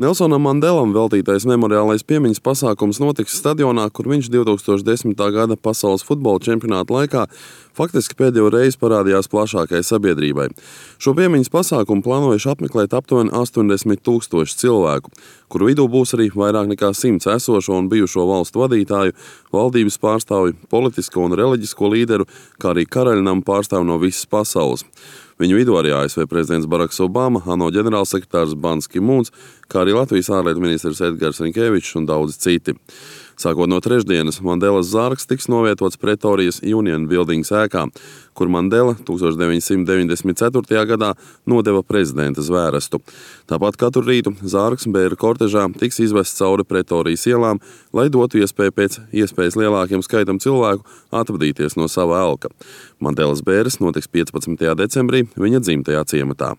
Nelsonam Mandelam veltītais memoriālais piemiņas pasākums notiks stadionā, kur viņš 2010. gada pasaules futbola čempionāta laikā faktiski pēdējo reizi parādījās plašākai sabiedrībai. Šo piemiņas pasākumu plānojuši apmeklēt aptuveni 80,000 cilvēku, kuru vidū būs arī vairāk nekā 100 esošo un bijušo valstu vadītāju, valdības pārstāvju, politisko un reliģisko līderu, kā arī karaļnama pārstāvju no visas pasaules. Viņu vidū arī ASV prezidents Baraks Obama, ANO ģenerālsekretārs Bans Ki-mūns, kā arī Latvijas ārlietu ministrs Edgars Rinkevičs un daudzi citi. Sākot no trešdienas, Mandelas zārks tiks novietots Pretorijas Union Buildings ēkā, kur Mandela 1994. gadā nodeva prezidenta zvērestu. Tāpat katru rītu zārks bēru kortežā tiks izvests cauri Pretorijas ielām, lai dotu iespēju pēc iespējas lielākiem skaitam cilvēku atvadīties no sava elka. Mandelas bēres notiks 15. decembrī viņa dzimtajā ciematā.